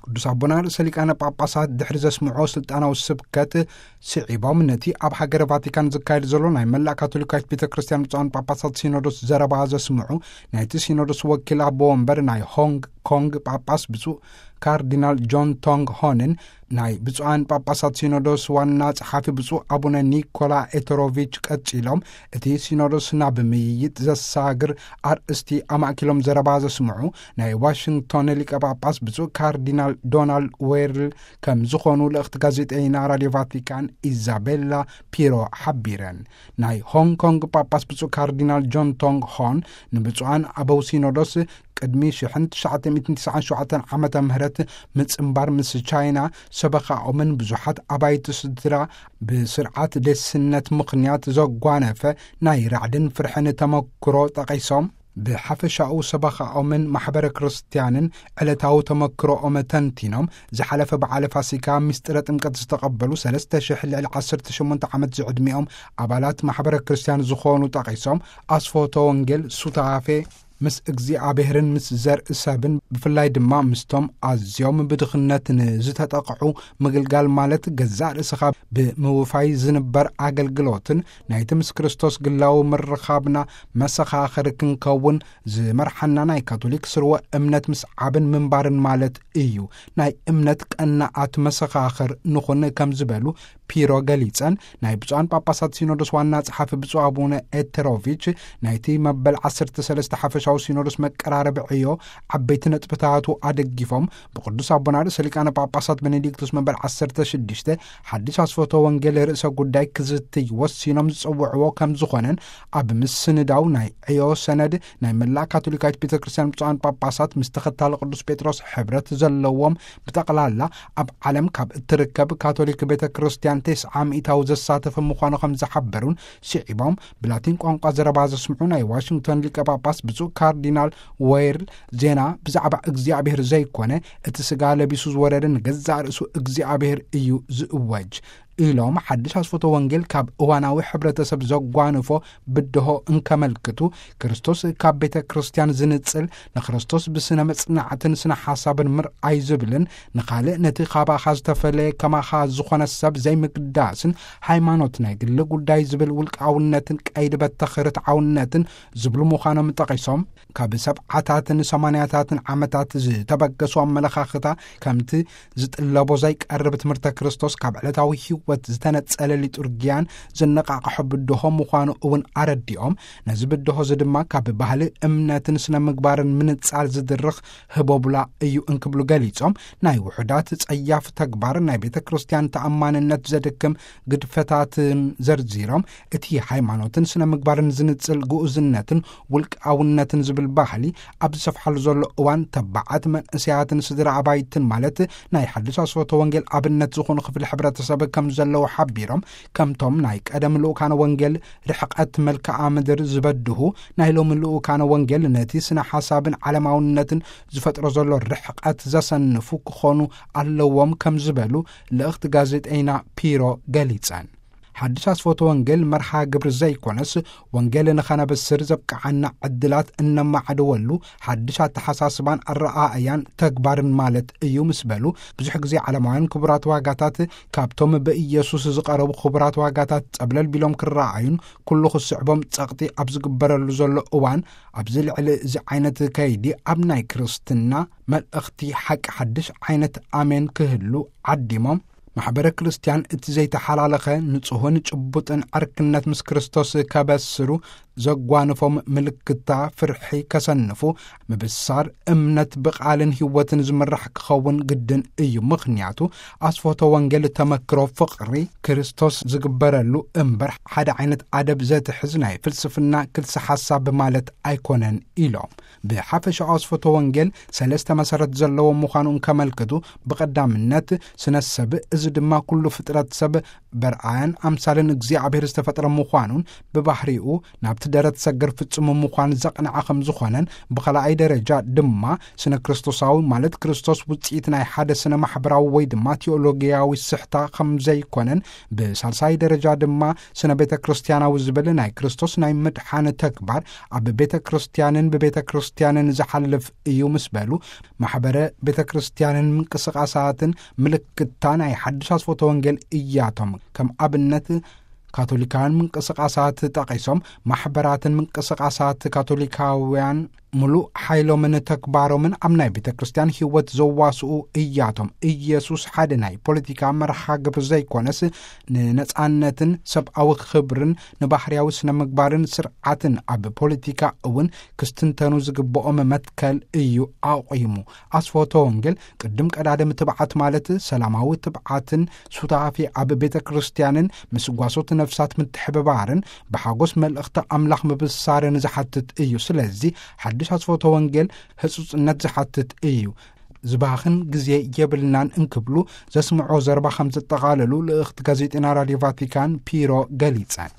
ቅዱስ ኣቦና ርእሰ ሊቃነ ጳጳሳት ድሕሪ ዘስምዖ ስልጣናዊ ስብከት ስዒቦም፣ ነቲ ኣብ ሃገረ ቫቲካን ዝካየድ ዘሎ ናይ መላእ ካቶሊካዊት ቤተ ክርስቲያን ብፁዓን ጳጳሳት ሲኖዶስ ዘረባ ዘስምዑ፣ ናይቲ ሲኖዶስ ወኪል ኣቦ ወንበር ናይ ሆንግ ኮንግ ጳጳስ ብፁዕ ካርዲናል ጆን ቶንግ ሆንን፣ ናይ ብፁዓን ጳጳሳት ሲኖዶስ ዋና ጸሓፊ ብፁዕ ኣቡነ ኒኮላ ኤተሮቪች ቀጺሎም፣ እቲ ሲኖዶስ ናብ ምይይጥ ዘሳግር ኣርእስቲ ኣማእኪሎም ዘረባ ዘስምዑ ናይ ዋሽንግቶን ሊቀ ጳጳስ ብፁዕ ካርዲናል ዶናልድ ዌርል ከም ዝኾኑ ልእኽቲ ጋዜጠይና ራድዮ ቫቲካን ኢዛቤላ ፒሮ ሓቢረን። ናይ ሆንግ ኮንግ ጳጳስ ብፁዕ ካርዲናል ጆን ቶንግ ሆን ንብፁዓን ኣበው ሲኖዶስ ቅድሚ ሽሕን ትሽዓተ ሚእትን ትስዓን ሸውዓተን ዓመተ ምህረት ምጽንባር ምስ ቻይና ሰበኻኦምን ብዙሓት ኣባይቲ ስድራ ብስርዓት ዴስነት ምኽንያት ዘጓነፈ ናይ ራዕድን ፍርሕን ተመክሮ ጠቒሶም፣ ብሓፈሻኡ ሰበኻኦምን ማሕበረ ክርስትያንን ዕለታዊ ተመክሮኦም ተንቲኖም፣ ዝሓለፈ በዓለ ፋሲካ ምስጢረ ጥምቀት ዝተቐበሉ ሰለስተ ሽሕ ልዕሊ ዓሰርተ ሸሞንተ ዓመት ዝዕድሚኦም ኣባላት ማሕበረ ክርስትያን ዝኾኑ ጠቒሶም፣ ኣስፎቶ ወንጌል ሱታፌ ምስ እግዚኣብሔርን ምስ ዘርኢ ሰብን ብፍላይ ድማ ምስቶም ኣዝዮም ብድኽነት ንዝተጠቕዑ ምግልጋል ማለት ገዛእ ርእስኻ ብምውፋይ ዝንበር ኣገልግሎትን ናይቲ ምስ ክርስቶስ ግላዊ ምርኻብና መሰኻኽር ክንከውን ዝመርሓና ናይ ካቶሊክ ስርወ እምነት ምስዓብን ምንባርን ማለት እዩ። ናይ እምነት ቀናኣት መሰኻኽር ንኹን ከም ዝበሉ ፒሮ ገሊጸን፣ ናይ ብፁዓን ጳጳሳት ሲኖዶስ ዋና ጸሓፊ ብፁዕ ኣቡነ ኤተሮቪች ናይቲ መበል ዓሰርተ ሰለስተ ሓፈሻዊ ሲኖዶስ መቀራረቢ ዕዮ ዓበይቲ ነጥብታቱ ኣደጊፎም፣ ብቅዱስ ኣቦና ርእሰ ሊቃነ ጳጳሳት ቤኔዲክቱስ መበል ዓሰርተ ሽዱሽተ ሓድሽ ኣስፈቶ ወንጌል ርእሰ ጉዳይ ክዝትይ ወሲኖም ዝጸውዕዎ ከም ዝኾነን፣ ኣብ ምስንዳው ናይ ዕዮ ሰነድ ናይ መላእ ካቶሊካዊት ቤተ ክርስቲያን ብፁዓን ጳጳሳት ምስ ተኸታሊ ቅዱስ ጴጥሮስ ሕብረት ዘለዎም ብጠቕላላ ኣብ ዓለም ካብ እትርከብ ካቶሊክ ቤተ ክርስቲያን ተስዓ ሚእታዊ ዘሳተፈ ምዃኑ ከም ዝሓበሩን ስዒቦም፣ ብላቲን ቋንቋ ዘረባ ዘስምዑ ናይ ዋሽንግቶን ሊቀ ጳጳስ ብፁዕ ካርዲናል ዌርል ዜና ብዛዕባ እግዚኣብሔር ዘይኮነ፣ እቲ ስጋ ለቢሱ ዝወረደ ንገዛእ ርእሱ እግዚኣብሔር እዩ ዝእወጅ ኢሎም፣ ሓድሽ ኣስፈቶ ወንጌል ካብ እዋናዊ ሕብረተሰብ ዘጓንፎ ብድሆ እንከመልክቱ፣ ክርስቶስ ካብ ቤተ ክርስቲያን ዝንጽል፣ ንክርስቶስ ብስነ መጽናዕትን ስነ ሓሳብን ምርኣይ ዝብልን፣ ንኻልእ ነቲ ካባኻ ዝተፈለየ ከማኻ ዝኾነ ሰብ ዘይምግዳስን፣ ሃይማኖት ናይ ግሊ ጉዳይ ዝብል ውልቃውነትን ቀይዲ በተኽ ርትዓውነትን ዝብሉ ምዃኖም ጠቒሶም፣ ካብ ሰብዓታትን ሰማንያታትን ዓመታት ዝተበገሱ ኣመለኻኽታ ከምቲ ዝጥለቦ ዘይቀርብ ትምህርተ ክርስቶስ ካብ ዕለታዊ ህይወት ዝተነጸለ ሊጡርጊያን ዘነቃቕሖ ብድሆ ምዃኑ እውን ኣረዲኦም፣ ነዚ ብድሆ እዚ ድማ ካብ ባህሊ እምነትን ስነ ምግባርን ምንጻል ዝድርኽ ህቦብላ እዩ እንክብሉ ገሊጾም፣ ናይ ውሑዳት ጸያፍ ተግባር ናይ ቤተ ክርስቲያን ተኣማንነት ዘድክም ግድፈታትን ዘርዚሮም፣ እቲ ሃይማኖትን ስነ ምግባርን ዝንጽል ግኡዝነትን ውልቃውነትን ዝብል ባህሊ ኣብ ዝሰፍሓሉ ዘሎ እዋን፣ ተባዓት መንእሰያትን ስድራ ኣባይትን ማለት ናይ ሓድሽ ኣስፈቶ ወንጌል ኣብነት ዝኾኑ ክፍሊ ሕብረተሰብ ከም ዘለዉ ሓቢሮም፣ ከምቶም ናይ ቀደም ልኡካነ ወንጌል ርሕቀት መልክዓ ምድር ዝበድሁ፣ ናይ ሎሚ ልኡካነ ወንጌል ነቲ ስነ ሓሳብን ዓለማውነትን ዝፈጥሮ ዘሎ ርሕቀት ዘሰንፉ ክኾኑ ኣለዎም ከም ዝበሉ ልእኽቲ ጋዜጠይና ፒሮ ገሊጸን። ሓድሽ ኣስፈቶ ወንጌል መርሃ ግብሪ ዘይኮነስ፣ ወንጌል ንኸነብስር ዘብቅዓና ዕድላት እነማዕድወሉ ሓድሽ ኣተሓሳስባን ኣረኣእያን ተግባርን ማለት እዩ ምስ በሉ፣ ብዙሕ ግዜ ዓለማውያን ክቡራት ዋጋታት ካብቶም ብኢየሱስ ዝቐረቡ ክቡራት ዋጋታት ጸብለል ቢሎም ክረኣዩን ኩሉ ክስዕቦም ጸቕጢ ኣብ ዝግበረሉ ዘሎ እዋን፣ ኣብዚ ልዕሊ እዚ ዓይነት ከይዲ ኣብ ናይ ክርስትና መልእኽቲ ሓቂ ሓድሽ ዓይነት ኣሜን ክህሉ ዓዲሞም፣ ማሕበረ ክርስቲያን እቲ ዘይተሓላለኸ ንጹህን ጭቡጥን ዕርክነት ምስ ክርስቶስ ከበስሩ ዘጓንፎም ምልክታ ፍርሒ ከሰንፉ፣ ምብሳር እምነት ብቓልን ህይወትን ዝምራሕ ክኸውን ግድን እዩ። ምኽንያቱ ኣስፎቶ ወንጌል ተመክሮ ፍቕሪ ክርስቶስ ዝግበረሉ እምበር ሓደ ዓይነት ኣደብ ዘትሕዝ ናይ ፍልስፍና ክልሲ ሓሳብ ማለት ኣይኮነን ኢሎም። ብሓፈሻ ኣስፈቶ ወንጌል ሰለስተ መሰረት ዘለዎ ምዃኑ እንከመልክቱ፣ ብቐዳምነት ስነ ሰብ፣ እዚ ድማ ኩሉ ፍጥረት ሰብ በርኣያን ኣምሳልን እግዚኣብሔር ዝተፈጥረ ምዃኑን ብባህሪኡ ናብቲ ደረት ሰገር ፍጹም ምዃን ዘቕንዐ ከም ዝኾነን፣ ብኸልኣይ ደረጃ ድማ ስነ ክርስቶሳዊ፣ ማለት ክርስቶስ ውጽኢት ናይ ሓደ ስነ ማሕበራዊ ወይ ድማ ቴዎሎጊያዊ ስሕታ ከም ዘይኮነን፣ ብሳልሳይ ደረጃ ድማ ስነ ቤተ ክርስቲያናዊ ዝብል ናይ ክርስቶስ ናይ ምድሓን ተግባር ኣብ ቤተ ክርስቲያንን ብቤተ ክርስቲያንን ዝሓልፍ እዩ ምስ በሉ፣ ማሕበረ ቤተ ክርስቲያንን ምንቅስቃሳትን ምልክታ ናይ ሓድሽ ኣስፎተ ወንጌል እያቶም። ከም ኣብነት ካቶሊካውያን ምንቅስቃሳት ጠቒሶም፣ ማሕበራትን ምንቅስቃሳት ካቶሊካውያን ምሉእ ሓይሎምን ተግባሮምን ኣብ ናይ ቤተ ክርስቲያን ህይወት ዘዋስኡ እያቶም። ኢየሱስ ሓደ ናይ ፖለቲካ መርሃ ግብር ዘይኮነስ፣ ንነጻነትን ሰብኣዊ ክብርን ንባህርያዊ ስነ ምግባርን ስርዓትን ኣብ ፖለቲካ እውን ክስትንተኑ ዝግብኦም መትከል እዩ ኣቑሙ። ኣስፎተ ወንጌል ቅድም ቀዳድም ትብዓት፣ ማለት ሰላማዊ ትብዓትን ሱታፌ ኣብ ቤተ ክርስቲያንን ምስ ጓሶት ነፍሳት ምትሕብባርን ብሓጎስ መልእኽቲ ኣምላኽ ምብሳርን ዝሓትት እዩ። ስለዚ ሓድሽ ኣስፎተ ወንጌል ህጹጽነት ዝሓትት እዩ። ዝባኽን ግዜ የብልናን እንክብሉ ዘስምዖ ዘረባ ከም ዘጠቓለሉ ልእኽቲ ጋዜጠኛ ራድዮ ቫቲካን ፒሮ ገሊጸን።